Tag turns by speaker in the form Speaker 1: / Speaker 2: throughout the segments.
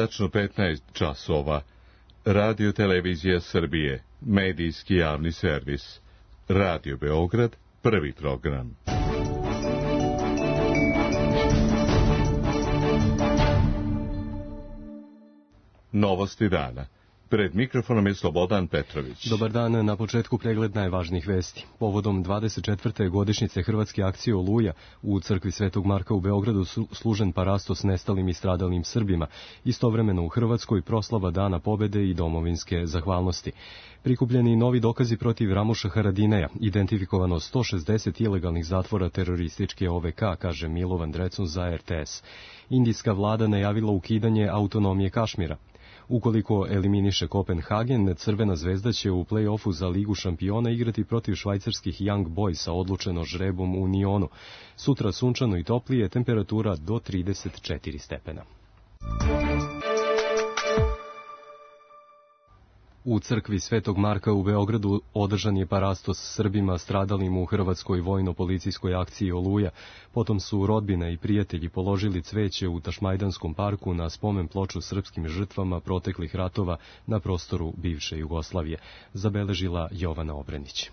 Speaker 1: tačno 15 časova. Radio Televizija Srbije, medijski javni servis. Radio Beograd, prvi program. Novosti dana. Pred mikrofonom je Slobodan Petrović.
Speaker 2: Dobar dan, na početku pregled najvažnijih vesti. Povodom 24. godišnjice Hrvatske akcije Oluja u crkvi Svetog Marka u Beogradu služen parastos nestalim i stradalim Srbima. Istovremeno u Hrvatskoj proslava Dana pobede i domovinske zahvalnosti. Prikupljeni novi dokazi protiv Ramuša Haradinaja, identifikovano 160 ilegalnih zatvora terorističke OVK, kaže Milovan Drecun za RTS. Indijska vlada najavila ukidanje autonomije Kašmira. Ukoliko eliminiše Kopenhagen, Crvena zvezda će u play-offu za Ligu šampiona igrati protiv švajcarskih Young Boysa, odlučeno žrebom u Nionu. Sutra sunčano i toplije, temperatura do 34 stepena. U crkvi Svetog Marka u Beogradu održan je parastos Srbima stradalim u hrvatskoj vojno-policijskoj akciji Oluja. Potom su rodbina i prijatelji položili cveće u Tašmajdanskom parku na spomen ploču srpskim žrtvama proteklih ratova na prostoru bivše Jugoslavije, zabeležila Jovana Obrenić.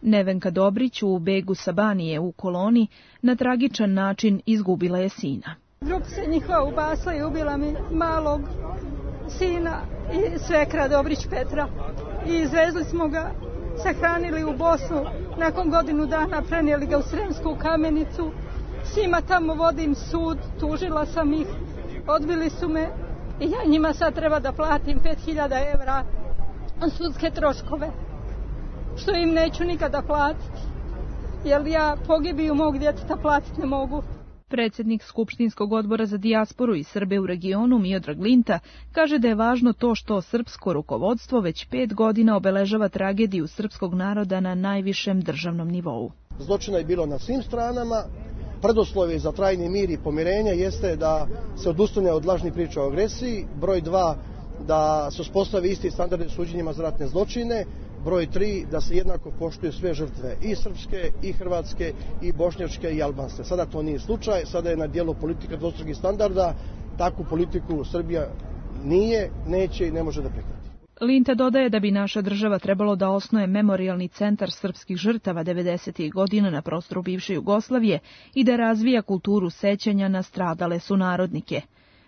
Speaker 3: Nevenka Dobrić u begu sa Banije u Koloni na tragičan način izgubila je sina.
Speaker 4: Ljubica njihova ubasla i ubila mi malog sina i svekra Dobrić Petra. I izvezli smo ga, sahranili u Bosnu, nakon godinu dana prenijeli ga u Sremsku Kamenicu. S njima tamo vodim sud, tužila sam ih, odbili su me i ja njima sad treba da platim 5.000 evra sudske troškove, što im neću nikada platiti, jer ja pogibiju mog djeteta platiti ne mogu.
Speaker 3: Predsjednik Skupštinskog odbora za dijasporu i Srbe u regionu Miodrag Linta kaže da je važno to što srpsko rukovodstvo već 5 godina obeležava tragediju srpskog naroda na najvišem državnom nivou.
Speaker 5: Zločina je bilo na svim stranama. Preduslovi za trajni mir i pomirenje jeste da se odustane od lažnih priča o agresiji. Broj 2, da se uspostavi isti standardi suđenjima za ratne zločine. Broj 3, da se jednako poštuju sve žrtve, i srpske, i hrvatske, i bošnjačke, i albanske. Sada to nije slučaj, sada je na dijelu politika dvostrukih standarda. Takvu politiku Srbija nije, neće i ne može da prihvati.
Speaker 3: Linta dodaje da bi naša država trebalo da osnuje memorijalni centar srpskih žrtava 90. godina na prostoru bivše Jugoslavije i da razvija kulturu sećanja na stradale sunarodnike.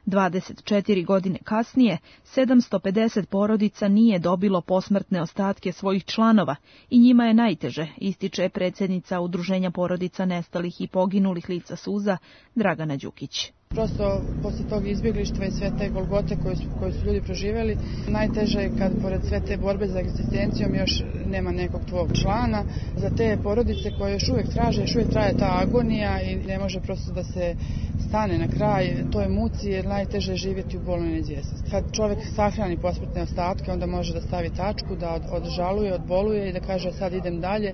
Speaker 3: 24 godine kasnije, 750 porodica nije dobilo posmrtne ostatke svojih članova i njima je najteže, ističe predsjednica Udruženja porodica nestalih i poginulih lica suza Dragana Đukić.
Speaker 6: Prosto, posle tog izbjeglištva i sve te golgote koje su ljudi proživjeli, najteže je kad pored sve te borbe za egzistencijom još nema nekog tvog člana. Za te porodice koje još uvijek traže, još uvijek traje ta agonija i ne može prosto da se stane na kraj toj muci, jer najteže je živjeti u bolnoj neizvjesnosti. Kad čovjek sahrani posmrtne ostatke, onda može da stavi tačku, da odžaluje, odboluje i da kaže sad idem dalje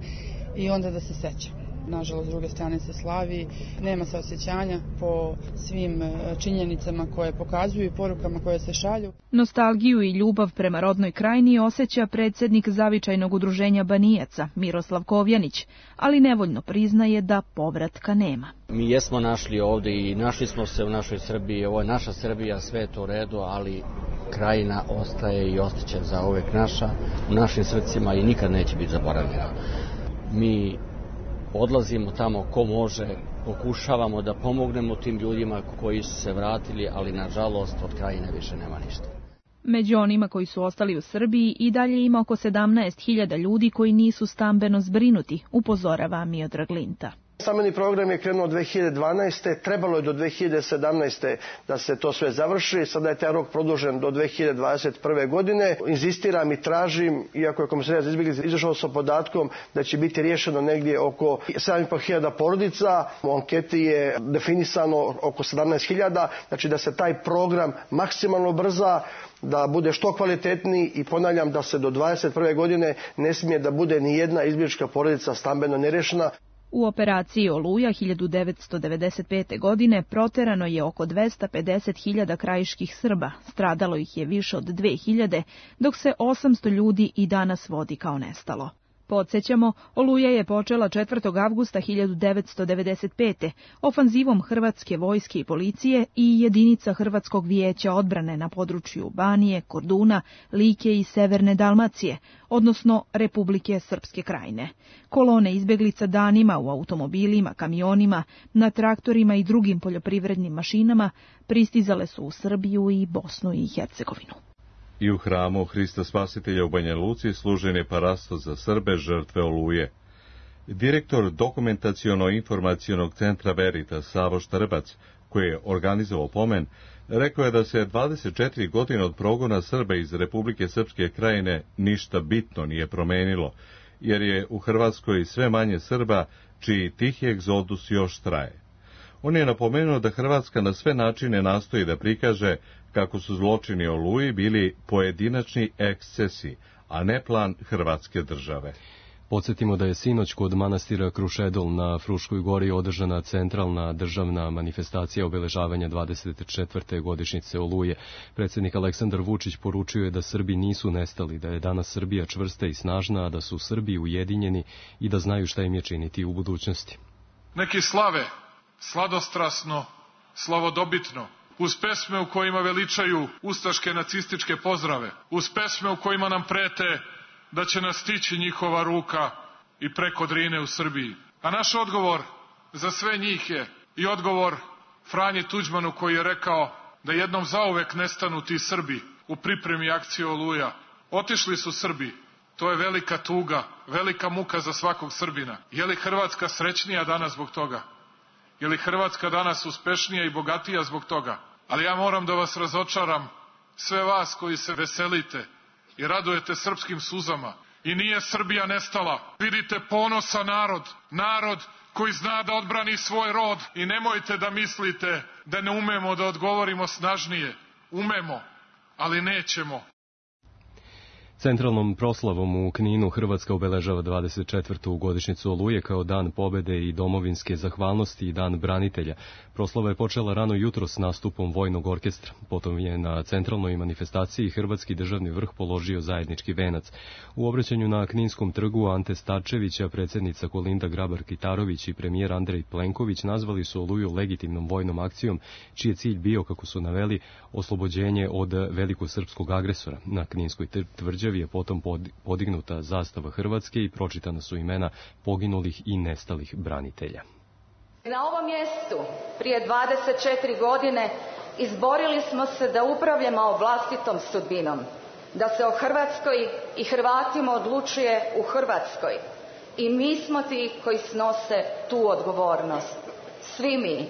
Speaker 6: i onda da se seća. Nažalost, s druge strane se slavi, nema se osjećanja po svim činjenicama koje pokazuju i porukama koje se šalju.
Speaker 3: Nostalgiju i ljubav prema rodnoj krajini osjeća predsjednik Zavičajnog udruženja Banijaca, Miroslav Kovjanić, ali nevoljno priznaje da povratka nema.
Speaker 7: Mi jesmo našli ovdje i našli smo se u našoj Srbiji, ovo je naša Srbija, sve je to u redu, ali krajina ostaje i ostaće za uvek naša, u našim srcima i nikad neće biti zaboravljena. Mi odlazimo tamo ko može, pokušavamo da pomognemo tim ljudima koji su se vratili, ali nažalost od krajine više nema ništa.
Speaker 3: Među onima koji su ostali u Srbiji i dalje ima oko 17.000 ljudi koji nisu stambeno zbrinuti, upozorava Miodrag Linta.
Speaker 5: Stambeni program je krenuo 2012. Trebalo je do 2017. da se to sve završi. Sada je taj rok produžen do 2021. godine. Inzistiram i tražim, iako je Komesarijat za izbjeglice izašao sa podatkom da će biti riješeno negdje oko 7.500 porodica. U anketi je definisano oko 17.000. Znači da se taj program maksimalno brza, da bude što kvalitetniji i ponavljam da se do 2021. godine ne smije da bude ni jedna izbjeglička porodica stambeno nerešena.
Speaker 3: U operaciji Oluja 1995. godine proterano je oko 250.000 krajiških Srba, stradalo ih je više od 2.000, dok se 800 ljudi i danas vodi kao nestalo. Podsjećamo, Oluja je počela 4. avgusta 1995. ofanzivom hrvatske vojske i policije i jedinica Hrvatskog vijeća odbrane na području Banije, Korduna, Like i Severne Dalmacije, odnosno Republike Srpske Krajine. Kolone izbjeglica danima u automobilima, kamionima, na traktorima i drugim poljoprivrednim mašinama pristizale su u Srbiju i Bosnu i Hercegovinu.
Speaker 1: I u hramu Hrista Spasitelja u Banja Luci služen je parastos za Srbe žrtve Oluje. Direktor dokumentaciono-informacionog centra Veritas Savo Štrbac, koji je organizovao pomen, rekao je da se 24 godine od progona Srba iz Republike Srpske Krajine ništa bitno nije promenilo, jer je u Hrvatskoj sve manje Srba, čiji tihi egzodus još traje. On je napomenuo da Hrvatska na sve načine nastoji da prikaže kako su zločini Oluji bili pojedinačni ekscesi, a ne plan Hrvatske države.
Speaker 2: Podsjetimo da je sinoć kod manastira Krušedol na Fruškoj gori održana centralna državna manifestacija obeležavanja 24. godišnjice Oluje. Predsjednik Aleksandar Vučić poručio je da Srbi nisu nestali, da je danas Srbija čvrsta i snažna, a da su Srbi ujedinjeni i da znaju šta im je činiti u budućnosti.
Speaker 8: Neki slave sladostrasno, slavodobitno, uz pesme u kojima veličaju ustaške nacističke pozdrave, uz pesme u kojima nam prete da će nas stići njihova ruka i preko Drine u Srbiji. A naš odgovor za sve njih je i odgovor Franji Tuđmanu, koji je rekao da jednom zauvek nestanu ti Srbi u pripremi akcije Oluja. Otišli su Srbi. To je velika tuga, velika muka za svakog Srbina. Je li Hrvatska srećnija danas zbog toga? Je li Hrvatska danas uspešnija i bogatija zbog toga? Ali ja moram da vas razočaram, sve vas koji se veselite i radujete srpskim suzama. I nije Srbija nestala. Vidite ponosan narod koji zna da odbrani svoj rod. I nemojte da mislite da ne umemo da odgovorimo snažnije. Umemo, ali nećemo.
Speaker 2: Centralnom proslavom u Kninu Hrvatska obeležava 24. godišnjicu Oluje kao dan pobede i domovinske zahvalnosti i dan branitelja. Proslava je počela rano jutro s nastupom vojnog orkestra. Potom je na centralnoj manifestaciji Hrvatski državni vrh položio zajednički venac. U obraćanju na Kninskom trgu Ante Starčevića, predsjednica Kolinda Grabar-Kitarović i premijer Andrej Plenković nazvali su Oluju legitimnom vojnom akcijom, čiji je cilj bio, kako su naveli, oslobođenje od velikog srpskog agresora. Na Kninskoj tvrđavi je potom podignuta zastava Hrvatske i pročitana su imena poginulih i nestalih branitelja.
Speaker 9: Na ovom mjestu prije 24 godine izborili smo se da upravljamo vlastitom sudbinom, da se o Hrvatskoj i Hrvatima odlučuje u Hrvatskoj. I mi smo ti koji snose tu odgovornost. Svi mi.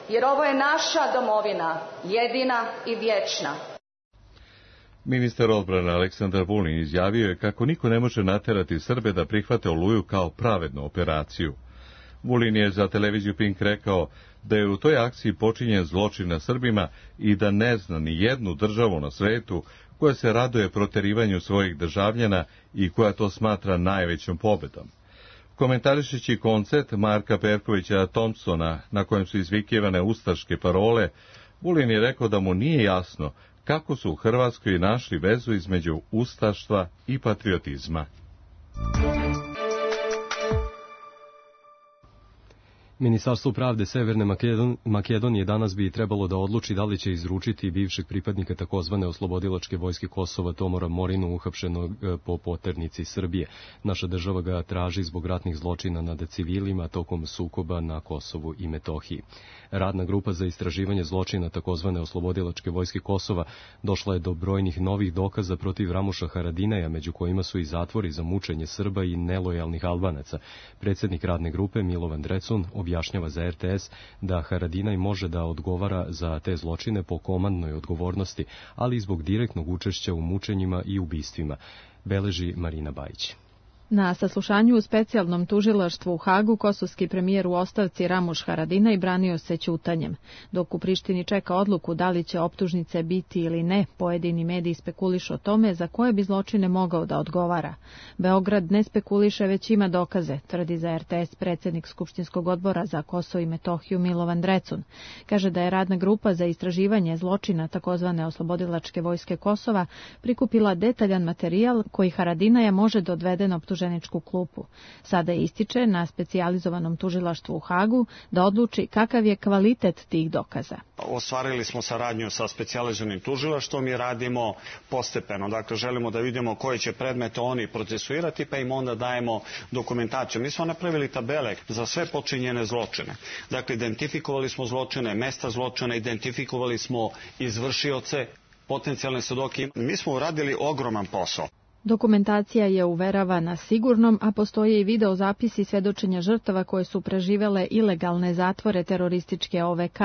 Speaker 9: Jer ovo je naša domovina, jedina i vječna.
Speaker 1: Ministar odbrane Aleksandar Vulin izjavio je kako niko ne može naterati Srbe da prihvate Oluju kao pravednu operaciju. Vulin je za televiziju Pink rekao da je u toj akciji počinjen zločin na Srbima i da ne zna ni jednu državu na svetu koja se raduje proterivanju svojih državljana i koja to smatra najvećom pobedom. Komentarišući koncert Marka Perkovića Thompsona, na kojem su izvikivane ustaške parole, Vulin je rekao da mu nije jasno kako su u Hrvatskoj našli vezu između ustaštva i patriotizma.
Speaker 2: Ministarstvo pravde Severne Makedonije danas bi trebalo da odluči da li će izručiti bivšeg pripadnika takozvane oslobodilačke vojske Kosova Tomora Morinu, uhapšenog po poternici Srbije. Naša država ga traži zbog ratnih zločina nad civilima tokom sukoba na Kosovu i Metohiji. Radna grupa za istraživanje zločina takozvane oslobodilačke vojske Kosova došla je do brojnih novih dokaza protiv Ramuša Haradinaja, među kojima su i zatvori za mučenje Srba i nelojalnih Albanaca. Predsjednik radne grupe Milovan Drecun objašnjava za RTS da Haradinaj može da odgovara za te zločine po komandnoj odgovornosti, ali i zbog direktnog učešća u mučenjima i ubistvima, beleži Marina Bajić.
Speaker 10: Na saslušanju u specijalnom tužilaštvu u Hagu kosovski premijer u ostavci Ramuš Haradinaj branio se ćutanjem. Dok u Prištini čeka odluku da li će optužnice biti ili ne, pojedini mediji spekulišu o tome za koje bi zločine mogao da odgovara. Beograd ne spekuliše, već ima dokaze, tvrdi za RTS predsjednik Skupštinskog odbora za Kosovo i Metohiju Milovan Drecun. Kaže da je radna grupa za istraživanje zločina takozvane oslobodilačke vojske Kosova prikupila detaljan materijal koji Haradinaja može da odvede na optužnicu optuženičku klupu. Sada ističe na specijalizovanom tužilaštvu u Hagu da odluči kakav je kvalitet tih dokaza.
Speaker 11: Ostvarili smo saradnju sa specijalizovanim tužilaštvom i radimo postepeno. Dakle, želimo da vidimo koje će predmete oni procesuirati, pa im onda dajemo dokumentaciju. Mi smo napravili tabele za sve počinjene zločine. Dakle, identifikovali smo zločine, mesta zločina, identifikovali smo izvršioce, potencijalne svedoke. Mi smo uradili ogroman posao.
Speaker 10: Dokumentacija je uveravana sigurnom, a postoje i videozapisi svedočenja žrtava koje su preživele ilegalne zatvore terorističke OVK.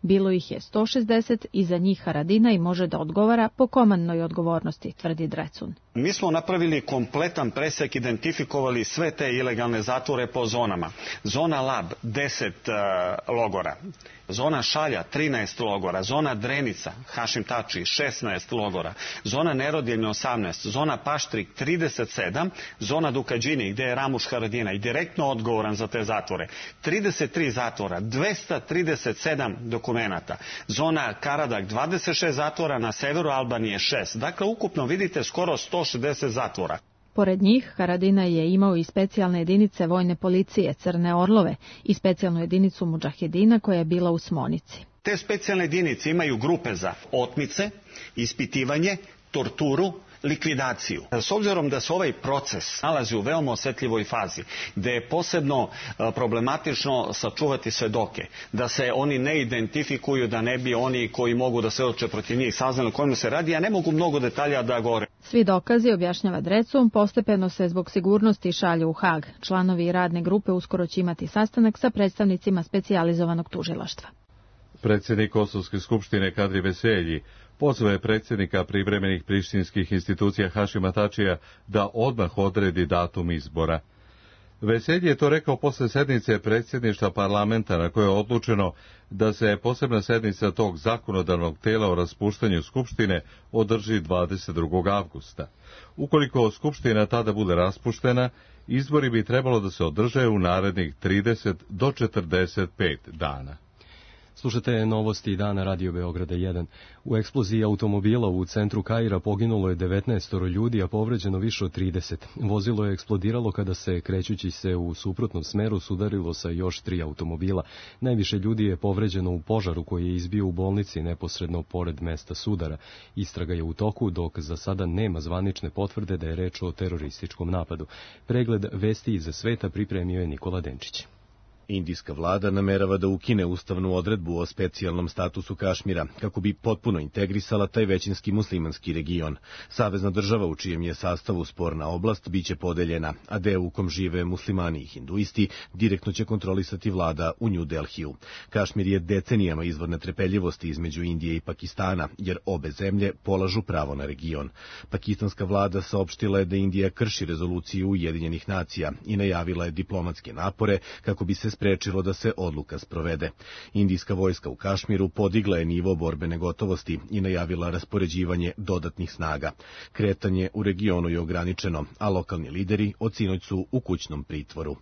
Speaker 10: Bilo ih je 160 i za njih Haradinaj može da odgovara po komandnoj odgovornosti, tvrdi Drecun.
Speaker 11: Mi smo napravili kompletan presek, identifikovali sve te ilegalne zatvore po zonama. Zona Lab, 10 logora. Zona Šalja, 13 logora. Zona Drenica, Hašim Tači, 16 logora. Zona Nerodjelje, 18. Zona Paštrik, 37. Zona Dukađini, gde je Ramuš Haradinaj direktno odgovoran za te zatvore. 33 zatvora, 237 dokumenata. Zona Karadak, 26 zatvora, na severu Albanije 6. Dakle, ukupno vidite skoro 160 zatvora.
Speaker 10: Pored njih, Haradinaj je imao i specijalne jedinice vojne policije, Crne Orlove, i specijalnu jedinicu mudžahedina koja je bila u Smonici.
Speaker 11: Te specijalne jedinice imaju grupe za otmice, ispitivanje, torturu, likvidaciju. S obzirom da se ovaj proces nalazi u veoma osetljivoj fazi, gde je posebno problematično sačuvati svedoke, da se oni ne identifikuju, da ne bi oni koji mogu da svedoče protiv njih saznali o kojima se radi, ja ne mogu mnogo detalja da govorim.
Speaker 10: Svi dokazi, objašnjava Drecun, postepeno se zbog sigurnosti šalju u Hag. Članovi radne grupe uskoro će imati sastanak sa predstavnicima specijalizovanog tužilaštva.
Speaker 1: Predsjednik Kosovske skupštine Kadri Veselji pozvao je predsjednika privremenih prištinskih institucija Hašima Tačija da odmah odredi datum izbora. Veselji je to rekao posle sednice predsjedništva parlamenta na kojoj je odlučeno da se posebna sednica tog zakonodavnog tela o raspuštanju skupštine održi 22. avgusta. Ukoliko skupština tada bude raspuštena, izbori bi trebalo da se održe u narednih 30 do 45 dana.
Speaker 2: Slušate novosti dana Radio Beograda 1. U eksploziji automobila u centru Kaira poginulo je 19 ljudi, a povređeno više od 30. Vozilo je eksplodiralo kada se, krećući se u suprotnom smeru, sudarilo sa još 3 automobila. Najviše ljudi je povređeno u požaru koji je izbio u bolnici neposredno pored mesta sudara. Istraga je u toku, dok za sada nema zvanične potvrde da je reč o terorističkom napadu. Pregled vesti iz sveta pripremio je Nikola Denčić.
Speaker 12: Indijska vlada namerava da ukine ustavnu odredbu o specijalnom statusu Kašmira, kako bi potpuno integrisala taj većinski muslimanski region. Savezna država u čijem je sastavu sporna oblast biće podeljena, a deo u kom žive muslimani i hinduisti direktno će kontrolisati vlada u New Delhiju. Kašmir je decenijama izvor netrpeljivosti između Indije i Pakistana, jer obe zemlje polažu pravo na region. Pakistanska vlada saopštila je da Indija krši rezoluciju Ujedinjenih nacija i najavila je diplomatske napore kako bi se sprečilo da se odluka sprovede. Indijska vojska u Kašmiru podigla je nivo borbene gotovosti i najavila raspoređivanje dodatnih snaga. Kretanje u regionu je ograničeno, a lokalni lideri od sinoć su u kućnom pritvoru.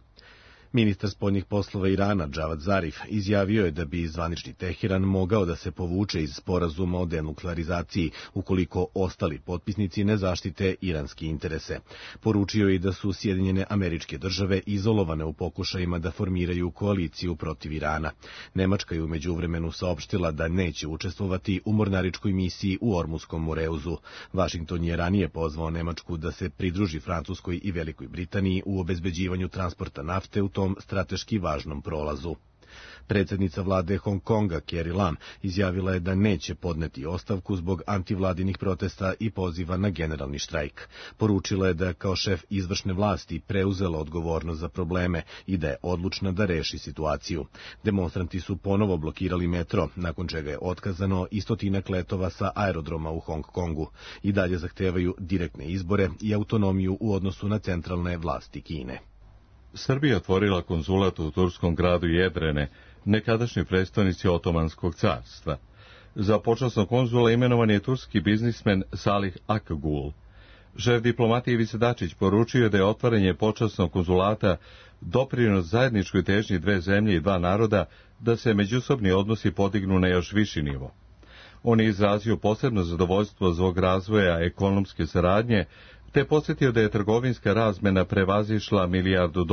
Speaker 12: Ministar spoljnih poslova Irana, Džavad Zarif, izjavio je da bi zvanični Teheran mogao da se povuče iz sporazuma o denuklearizaciji, ukoliko ostali potpisnici ne zaštite iranske interese. Poručio je i da su Sjedinjene Američke Države izolovane u pokušajima da formiraju koaliciju protiv Irana. Nemačka je u međuvremenu saopštila da neće učestvovati u mornaričkoj misiji u Ormuskom Moreuzu. Vašington je ranije pozvao Nemačku da se pridruži Francuskoj i Velikoj Britaniji u obezbeđivanju transporta nafte u tom strateški važnom prolazu. Predsjednica vlade Hong Konga, Carrie Lam, izjavila je da neće podneti ostavku zbog antivladinih protesta i poziva na generalni štrajk. Poručila je da kao šef izvršne vlasti preuzela odgovornost za probleme i da je odlučna da reši situaciju. Demonstranti su ponovo blokirali metro, nakon čega je otkazano i stotinak letova sa aerodroma u Hong Kongu. I dalje zahtevaju direktne izbore i autonomiju u odnosu na centralne vlasti Kine.
Speaker 1: Srbija otvorila konzulat u turskom gradu Jedrene, nekadašnjoj prestonici Otomanskog carstva. Za počasnog konzula imenovan je turski biznismen Salih Akgul. Šef diplomatije Ivica Dačić poručio da je otvaranje počasnog konzulata doprinos zajedničkoj težnji dve zemlje i dva naroda da se međusobni odnosi podignu na još viši nivo. On je izrazio posebno zadovoljstvo zbog razvoja ekonomske saradnje, te podsjetio da je trgovinska razmena prevazišla $1 milijardu.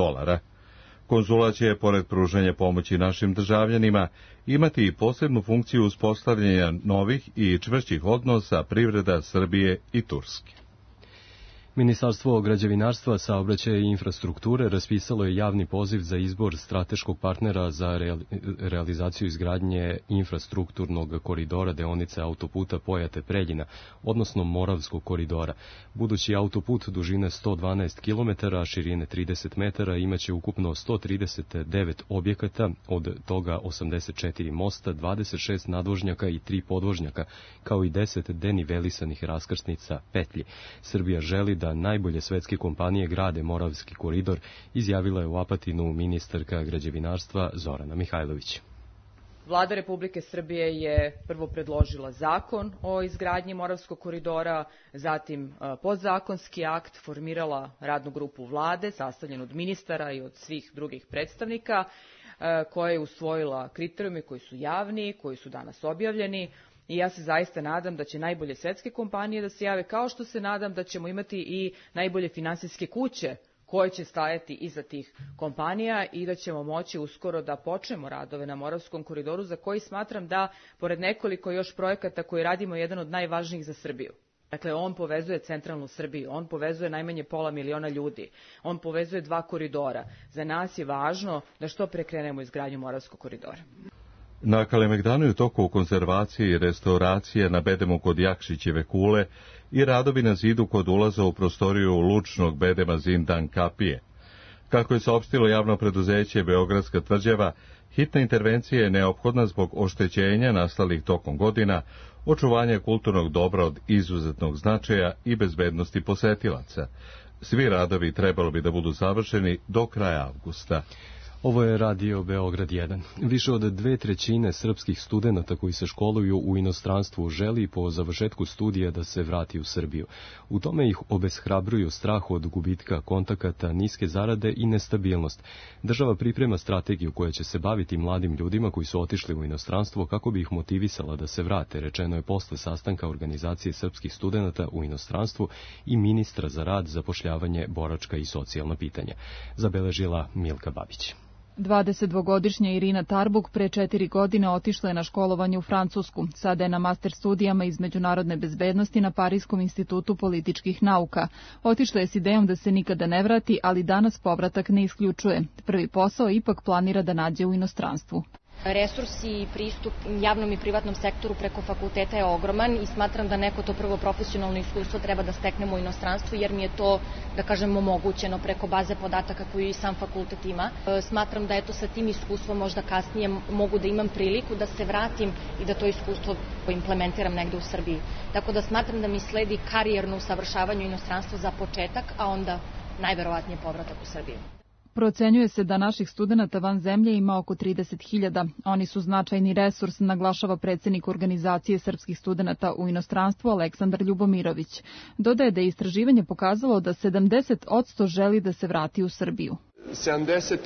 Speaker 1: Konzulat će, pored pružanja pomoći našim državljanima, imati i posebnu funkciju uspostavljanja novih i čvršćih odnosa privreda Srbije i Turske.
Speaker 2: Ministarstvo građevinarstva, saobraćaja i infrastrukture raspisalo je javni poziv za izbor strateškog partnera za realizaciju izgradnje infrastrukturnog koridora deonice autoputa Pojate-Preljina, odnosno Moravskog koridora. Budući autoput dužine 112 km, širine 30 metara, imaće ukupno 139 objekata, od toga 84 mosta, 26 nadvožnjaka i 3 podvožnjaka, kao i 10 denivelisanih raskrsnica petlji. Srbija želi da najbolje svetske kompanije grade Moravski koridor, izjavila je u Apatinu ministarka građevinarstva Zorana Mihajlović.
Speaker 13: Vlada Republike Srbije je prvo predložila zakon o izgradnji Moravskog koridora, zatim podzakonski akt, formirala radnu grupu vlade, sastavljenu od ministara i od svih drugih predstavnika, koja je usvojila kriterijume koji su javni, koji su danas objavljeni. I ja se zaista nadam da će najbolje svetske kompanije da se jave, kao što se nadam da ćemo imati i najbolje finansijske kuće koje će stajati iza tih kompanija i da ćemo moći uskoro da počnemo radove na Moravskom koridoru, za koji smatram da, pored nekoliko još projekata koji radimo, je jedan od najvažnijih za Srbiju. Dakle, on povezuje centralnu Srbiju, on povezuje najmanje 500.000 ljudi, on povezuje 2 koridora. Za nas je važno da što pre krenemo izgradnju Moravskog koridora.
Speaker 1: Na Kalemegdanu je u toku konzervacije i restauracije na bedemu kod Jakšićeve kule i radovi na zidu kod ulaza u prostoriju lučnog bedema Zindan Kapije. Kako je saopštilo javno preduzeće Beogradska tvrđava, hitna intervencija je neophodna zbog oštećenja nastalih tokom godina, očuvanja kulturnog dobra od izuzetnog značaja i bezbednosti posetilaca. Svi radovi trebalo bi da budu završeni do kraja avgusta.
Speaker 2: Ovo je Radio Beograd 1. Više od 2/3 srpskih studenata koji se školuju u inostranstvu želi po završetku studija da se vrati u Srbiju. U tome ih obeshrabruju strah od gubitka kontakata, niske zarade i nestabilnost. Država priprema strategiju koja će se baviti mladim ljudima koji su otišli u inostranstvo kako bi ih motivisala da se vrate, rečeno je posle sastanka organizacije srpskih studenata u inostranstvu i ministra za rad, zapošljavanje, boračka i socijalna pitanja. Zabeležila Milka Babić.
Speaker 10: 22-godišnja Irina Tarbuk pre 4 godine otišla je na školovanje u Francusku. Sada je na master studijama iz međunarodne bezbednosti na Parijskom institutu političkih nauka. Otišla je s idejom da se nikada ne vrati, ali danas povratak ne isključuje. Prvi posao ipak planira da nađe u inostranstvu.
Speaker 14: Resurs i pristup javnom i privatnom sektoru preko fakulteta je ogroman i smatram da neko to prvo profesionalno iskustvo treba da steknemo u inostranstvu, jer mi je to, da kažem, omogućeno preko baze podataka koju i sam fakultet ima. Smatram da sa tim iskustvom možda kasnije mogu da imam priliku da se vratim i da to iskustvo implementiram negde u Srbiji. Tako da smatram da mi sledi karijerno usavršavanje u inostranstvu za početak, a onda najverovatnije povratak u Srbiju.
Speaker 10: Procenjuje se da naših studenata van zemlje ima oko 30.000. Oni su značajni resurs, naglašava predsednik organizacije srpskih studenata u inostranstvu Aleksandar Ljubomirović. Dodaje da je istraživanje pokazalo da 70% želi da se vrati u Srbiju.
Speaker 15: 70%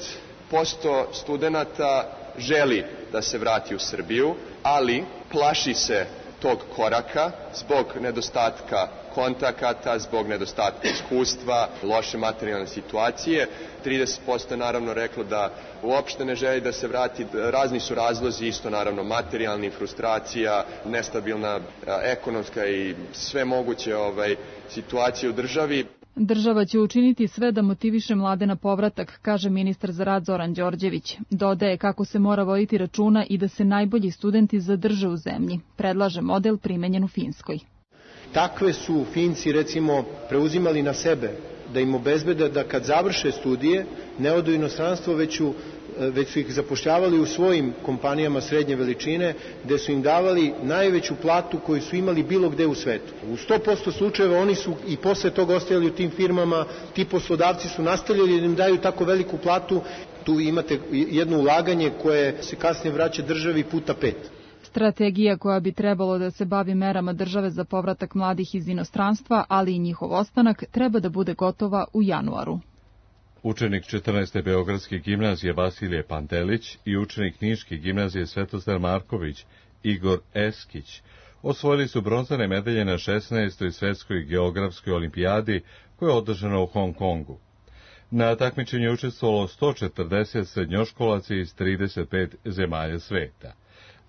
Speaker 15: studenata želi da se vrati u Srbiju, ali plaši se tog koraka zbog nedostatka kontakata, zbog nedostatka iskustva, loše materijalne situacije. 30% je naravno reklo da uopšte ne želi da se vrati. Razni su razlozi, isto naravno materijalni, frustracija, nestabilna ekonomska i sve moguće situacije u državi.
Speaker 10: Država će učiniti sve da motiviše mlade na povratak, kaže ministar za rad Zoran Đorđević. Dodaje kako se mora voditi računa i da se najbolji studenti zadrže u zemlji. Predlaže model primenjen u Finskoj.
Speaker 16: Takve su Finci, recimo, preuzimali na sebe da im obezbede da kad završe studije ne odu u inostranstvo, već su ih zapošljavali u svojim kompanijama srednje veličine, gde su im davali najveću platu koju su imali bilo gde u svetu. U 100% slučajeva oni su i posle toga ostajali u tim firmama, ti poslodavci su nastavljali da im daju tako veliku platu. Tu imate jedno ulaganje koje se kasnije vraća državi puta 5.
Speaker 10: Strategija koja bi trebalo da se bavi merama države za povratak mladih iz inostranstva, ali i njihov ostanak, treba da bude gotova u januaru.
Speaker 1: Učenik 14. Beogradske gimnazije Vasilije Pantelić i učenik Niške gimnazije Svetozar Marković Igor Eskić Osvojili su bronzane medalje na 16. svetskoj geografskoj olimpijadi koja je održana u Hong Kongu. Na takmičenju je učestvovalo 140 srednjoškolaca iz 35 zemalja sveta.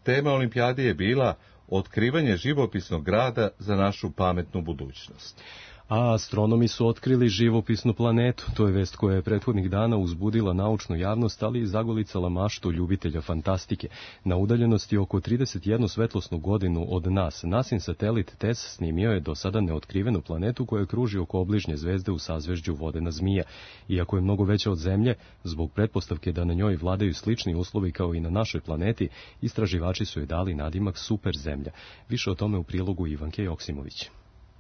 Speaker 1: Tema olimpijade je bila otkrivanje živopisnog grada za našu pametnu budućnost.
Speaker 2: A astronomi su otkrili živopisnu planetu. To je vest koja je prethodnih dana uzbudila naučnu javnost, ali i zagolicala maštu ljubitelja fantastike. Na udaljenosti oko 31 svetlosnu godinu od nas, NASIN satelit TESS snimio je do sada neotkrivenu planetu koja kruži oko obližnje zvezde u sazvežđu Vodena zmija. Iako je mnogo veća od Zemlje, zbog pretpostavke da na njoj vladaju slični uslovi kao i na našoj planeti, istraživači su joj dali nadimak super Zemlja. Više o tome u prilogu Ivanke Joksimović.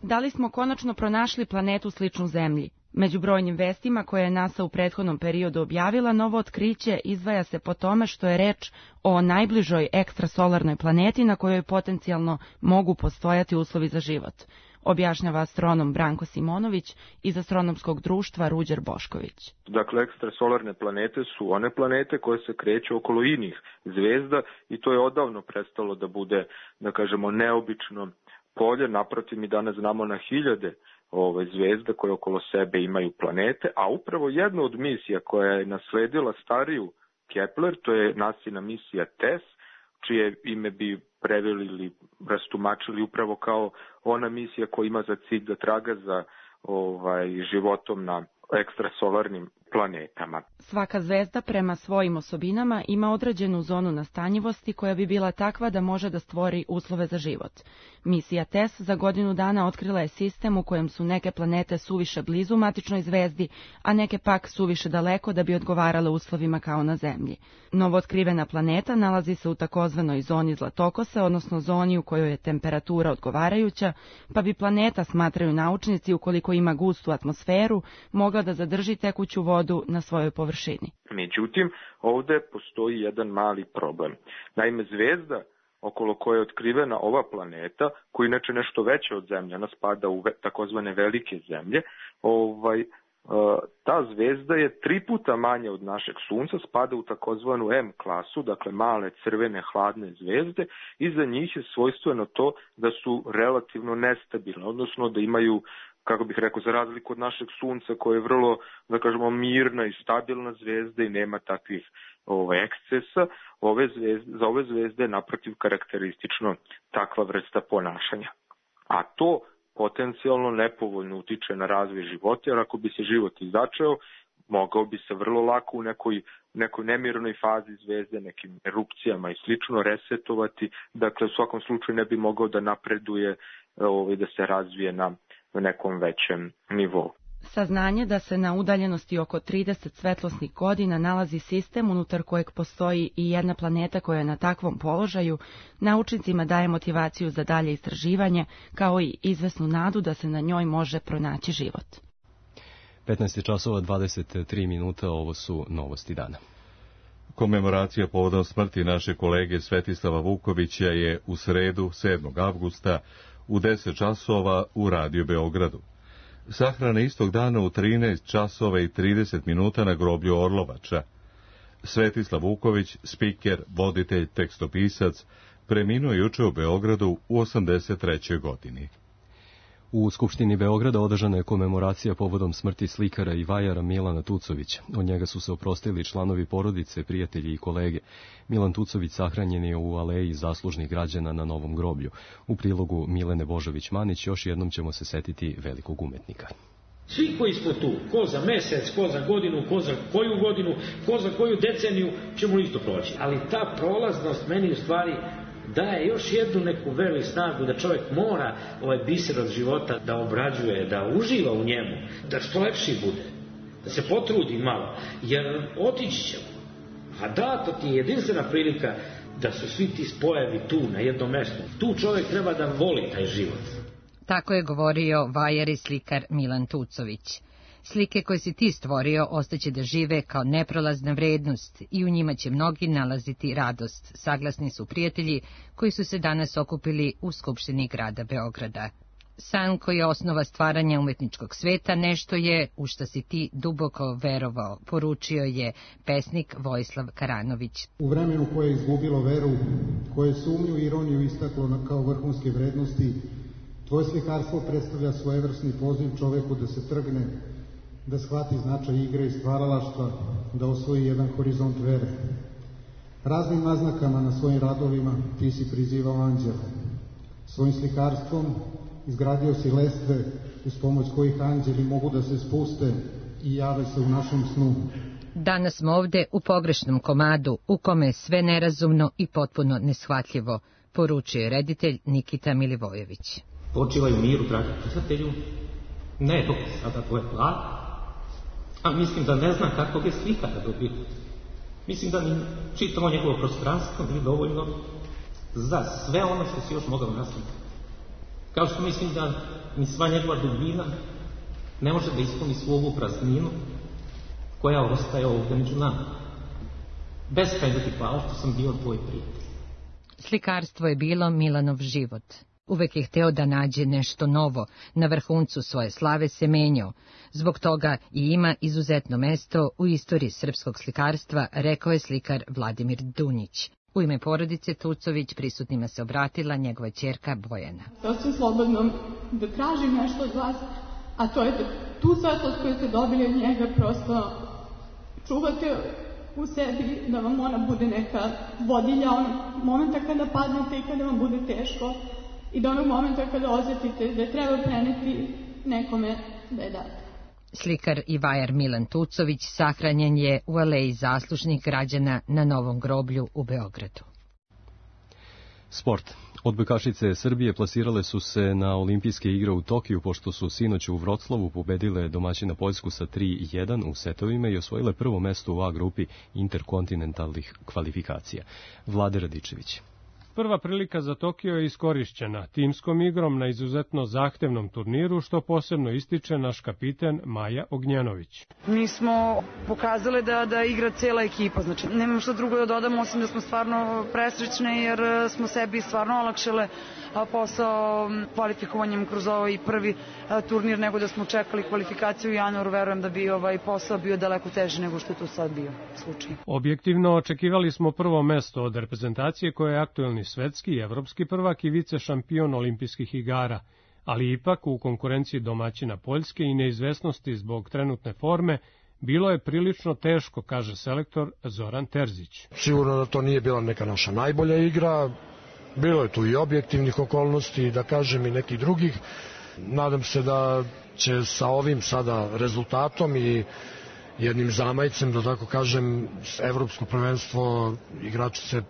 Speaker 17: Da li smo konačno pronašli planetu sličnu Zemlji? Među brojnim vestima koje je NASA u prethodnom periodu objavila, novo otkriće izdvaja se po tome što je reč o najbližoj ekstrasolarnoj planeti na kojoj potencijalno mogu postojati uslovi za život, objašnjava astronom Branko Simonović iz astronomskog društva Ruđer Bošković.
Speaker 18: Dakle, ekstrasolarne planete su one planete koje se kreću okolo inih zvezda i to je odavno prestalo da bude, da kažemo, neobično polje. Naprotiv, mi danas znamo na hiljade zvezda koje okolo sebe imaju planete, a upravo jedna od misija koja je nasledila stariju Kepler, to je NASIna misija TESS, čije ime bi preveli ili rastumačili upravo kao ona misija koja ima za cilj da traga za životom na ekstrasolarnim planetama.
Speaker 17: Svaka zvezda prema svojim osobinama ima određenu zonu nastanjivosti koja bi bila takva da može da stvori uslove za život. Misija TESS za godinu dana otkrila je sistem u kojem su neke planete suviše blizu matičnoj zvezdi, a neke pak suviše daleko da bi odgovarale uslovima kao na Zemlji. Novootkrivena planeta nalazi se u takozvanoj zoni zlatokose, odnosno zoni u kojoj je temperatura odgovarajuća, pa bi planeta, smatraju naučnici, ukoliko ima gustu atmosferu, mogla da zadrži tekuću vodu na svojoj površini.
Speaker 18: Međutim, ovde postoji jedan mali problem. Naime, zvezda okolo koje je otkrivena ova planeta, koja je inače nešto veća od Zemlje, ona spada u takozvane velike zemlje, ta zvezda je 3 puta manja od našeg Sunca, spada u takozvanu M klasu, dakle male crvene hladne zvezde, i za njih je svojstveno to da su relativno nestabilne, odnosno da imaju, kako bih rekao, za razliku od našeg Sunca koje je vrlo, da kažemo, mirna i stabilna zvezda i nema takvih ekscesa, za ove zvezde je naprotiv karakteristično takva vrsta ponašanja. A to potencijalno nepovoljno utiče na razvoj života, jer ako bi se život začeo, mogao bi se vrlo lako u nekoj nemirnoj fazi zvezde, nekim erupcijama i slično resetovati, dakle u svakom slučaju ne bi mogao da napreduje, da se razvije na nekom većem nivou.
Speaker 17: Saznanje da se na udaljenosti oko 30 svetlosnih godina nalazi sistem unutar kojeg postoji i jedna planeta koja je na takvom položaju, naučnicima daje motivaciju za dalje istraživanje, kao i izvesnu nadu da se na njoj može pronaći život.
Speaker 2: 15:23, ovo su novosti dana.
Speaker 1: Komemoracija povodom smrti naše kolege Svetislava Vukovića je u sredu, 7. avgusta, u 10 časova u Radio Beogradu. Sahrana istog dana u 13 časova i 30 minuta na groblju Orlovača. Svetislav Vuković, spiker, voditelj, tekstopisac, preminuo juče u Beogradu u 83. godini.
Speaker 2: U Skupštini Beograda održana je komemoracija povodom smrti slikara i vajara Milana Tucovića. Od njega su se oprostili članovi porodice, prijatelji i kolege. Milan Tucović sahranjen je u aleji zaslužnih građana na Novom groblju. U prilogu Milene Božović-Manić još jednom ćemo se setiti velikog umetnika.
Speaker 19: Svi koji smo tu, ko za mesec, ko za godinu, ko za koju godinu, ko za koju deceniju, ćemo isto proći. Ali ta prolaznost meni u stvari daje još jednu neku veru i snagu da čovjek mora ovaj biser od života da obrađuje, da uživa u njemu, da što lepši bude, da se potrudi malo, jer otići ćemo. A da, to ti je jedinstvena prilika da su svi ti spojevi tu na jednom mjestu. Tu čovjek treba da voli taj život.
Speaker 20: Tako je govorio vajar i slikar Milan Tucović. Slike koje si ti stvorio ostaće da žive kao neprolazna vrednost i u njima će mnogi nalaziti radost, saglasni su prijatelji koji su se danas okupili u Skupštini grada Beograda. San koji je osnova stvaranja umetničkog sveta nešto je u što si ti duboko verovao, poručio je pesnik Vojislav Karanović.
Speaker 21: U vremenu koje je izgubilo veru, koje sumnju i ironiju istaklo kao vrhunske vrednosti, tvoje slikarstvo predstavlja svojevrsni poziv čoveku da se trgne, da shvati značaj igre i stvaralaštva, da osvoji jedan horizont vere. Raznim naznakama na svojim radovima ti si prizivao anđele. Svojim slikarstvom izgradio si lestve uz pomoć kojih anđeli mogu da se spuste i jave se u našem snu.
Speaker 20: Danas smo ovde u pogrešnom komadu, u kome je sve nerazumno i potpuno neshvatljivo, poručio je reditelj Nikita Milivojević.
Speaker 22: Počivaj u miru, dragi pisatelju, ne dok sada tvoje plate, a mislim da ne znam kakvog je slikara dobio. Mislim da ni čitamo njegovo prostranstvo nije dovoljno za sve ono što si još mogao naslikati. Kao što mislim da ni sva njegova dubina ne može da ispuni svu ovu prazninu koja ostaje ovdje među nama. Beskrajno ti hvala što sam bio tvoj prijatelj.
Speaker 20: Slikarstvo je bilo Milanov život. Uvek je hteo da nađe nešto novo, na vrhuncu svoje slave se menjao. Zbog toga i ima izuzetno mesto u istoriji srpskog slikarstva, rekao je slikar Vladimir Dunjić. U ime porodice Tucović prisutnima se obratila njegova ćerka Bojana.
Speaker 23: Sasvim slobodno da tražim nešto od vas, a to je da tu svetlost koju ste dobili od njega prosto čuvate u sebi, da vam ona bude neka vodilja onog momenta kada padnete i kada vam bude teško i do onog momenta kada osjetite da treba preneti nekome da je date.
Speaker 20: Slikar i vajar Milan Tucović sahranjen je u aleji zaslužnih građana na Novom groblju u Beogradu.
Speaker 2: Sport. Odbojkašice Srbije plasirale su se na olimpijske igre u Tokiju, pošto su sinoć u Vroclavu pobedile domaćina Poljsku sa 3-1 u setovima i osvojile prvo mesto u A grupi interkontinentalnih kvalifikacija. Vlade Radičević.
Speaker 24: Prva prilika za Tokio je iskorišćena timskom igrom na izuzetno zahtevnom turniru, što posebno ističe naš kapiten Maja Ognjanović.
Speaker 25: Mi smo pokazali da igra cela ekipa, znači nemam što drugo da dodam osim da smo stvarno presrećne jer smo sebi stvarno olakšale posao kvalifikovanjem kroz ovaj prvi turnir nego da smo čekali kvalifikaciju u januaru. Verujem da bi ovaj posao bio daleko teži nego što je to sad bio slučaj.
Speaker 24: Objektivno očekivali smo prvo mesto od reprezentacije koja je aktuelni svetski i evropski prvak i vice šampion olimpijskih igara, ali ipak u konkurenciji domaćina Poljske i neizvesnosti zbog trenutne forme bilo je prilično teško, kaže selektor Zoran Terzić.
Speaker 26: Sigurno da to nije bila neka naša najbolja igra, bilo je tu i objektivnih okolnosti, da kažem i nekih drugih. Nadam se da će sa ovim sada rezultatom i jednim zamajcem, da tako kažem, evropsko prvenstvo igrači se,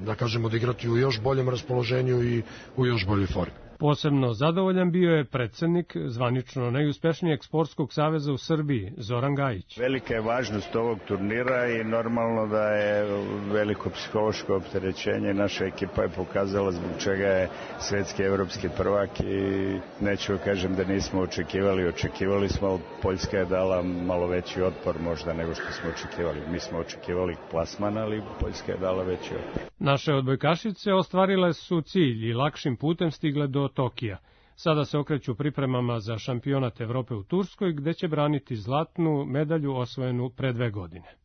Speaker 26: da kažem, odigrati u još boljem raspoloženju i u još boljoj formi.
Speaker 24: Posebno zadovoljan bio je predsednik zvanično najuspešnijeg sportskog saveza u Srbiji, Zoran Gajić.
Speaker 27: Velika je važnost ovog turnira i normalno da je veliko psihološko opterećenje. Naša ekipa je pokazala zbog čega je svetski evropski prvak i neću kažem da nismo očekivali smo, ali Poljska je dala malo veći otpor možda nego što smo očekivali. Mi smo očekivali plasman, ali Poljska je dala veći otpor.
Speaker 24: Naše odbojkašice ostvarile su cilj i lakšim putem stigle do Tokija. Sada se okreću pripremama za šampionat Evrope u Turskoj, gde će braniti zlatnu medalju osvojenu pre 2 godine.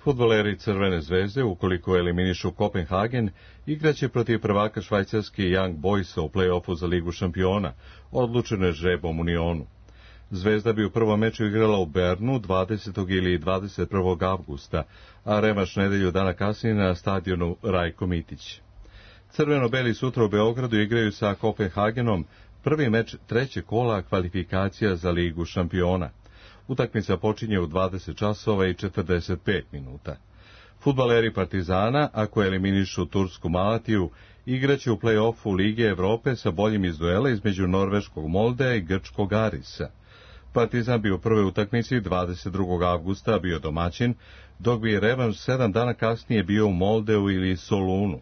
Speaker 1: Fudbaleri Crvene zvezde, ukoliko eliminišu Kopenhagen, igraće protiv prvaka švajcarski Young Boysa u play-offu za Ligu šampiona, odlučeno je žrebom u Nionu. Zvezda bi u prvom meču igrala u Bernu 20. ili 21. avgusta, a revanš nedelju dana kasnije na stadionu Rajko Mitić. Crveno-beli sutra u Beogradu igraju sa Kopenhagenom prvi meč trećeg kola kvalifikacija za Ligu šampiona. Utakmica počinje u 20 časova i 45 minuta. Fudbaleri Partizana, ako eliminišu tursku Malatiju, igraće u play-offu Lige Evrope sa boljim iz duela između norveškog Moldea i grčkog Arisa. Partizan bi u prvoj utakmici 22. avgusta bio domaćin, dok bi revanš 7 dana kasnije bio u Moldeu ili Solunu.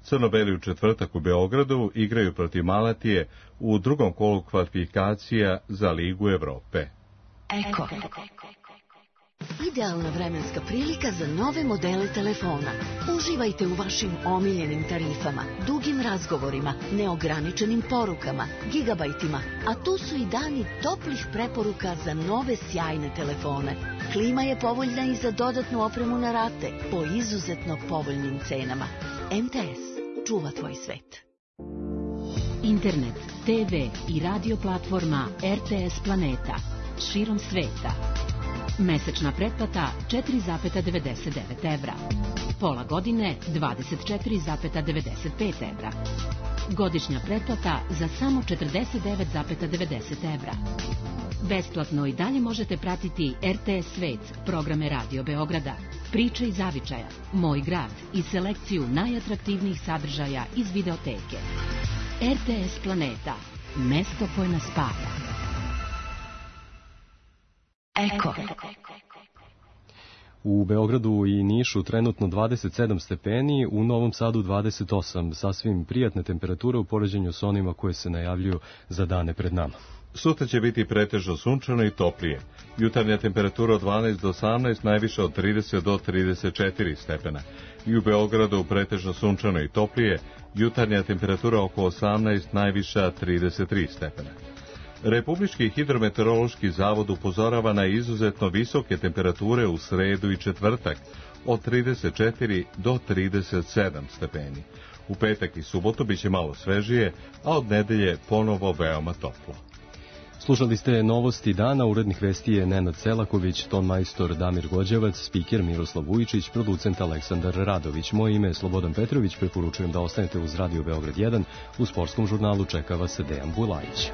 Speaker 1: Crno-beli u četvrtak u Beogradu igraju protiv Malatije u drugom kolu kvalifikacija za Ligu Evrope.
Speaker 3: Idealna vremenska prilika za nove modele telefona. Uživajte u vašim omiljenim tarifama, dugim razgovorima, neograničenim porukama, gigabajtima, a tu su i dani toplih preporuka za nove sjajne telefone. Klima je povoljna i za dodatnu opremu na rate po izuzetno povoljnim cenama. MTS. Čuva tvoj svet.
Speaker 4: Internet, TV i radio platforma RTS Planeta. Širom sveta. Mesečna pretplata 4,99 evra. Pola godine 24,95 evra. Godišnja pretplata za samo 49,90 evra. Besplatno i dalje možete pratiti RTS Svet, programe Radio Beograda, priče iz zavičaja, Moj grad i selekciju najatraktivnijih sadržaja iz videoteke. RTS Planeta, mesto koje nas spaja. Eko.
Speaker 2: U Beogradu i Nišu trenutno 27 stepeni, u Novom Sadu 28, sasvim prijatne temperature u poređenju s onima koje se najavljuju za dane pred nama.
Speaker 1: Sutra će biti pretežno sunčano i toplije. Jutarnja temperatura od 12 do 18, najviša od 30 do 34 stepena. I u Beogradu pretežno sunčano i toplije, jutarnja temperatura oko 18, najviša 33 stepena. Republički hidrometeorološki zavod upozorava na izuzetno visoke temperature u sredu i četvrtak, od 34 do 37 stepeni. U petak i subotu biće malo svežije, a od nedelje ponovo veoma toplo.
Speaker 2: Slušali ste novosti dana, urednik vesti je Nenad Selaković, ton majstor Damir Gođevac, spiker Miroslav Vujičić, producent Aleksandar Radović. Moje ime je Slobodan Petrović, preporučujem da ostanete uz Radio Beograd 1, u sportskom žurnalu čeka vas Dejan Bulajić.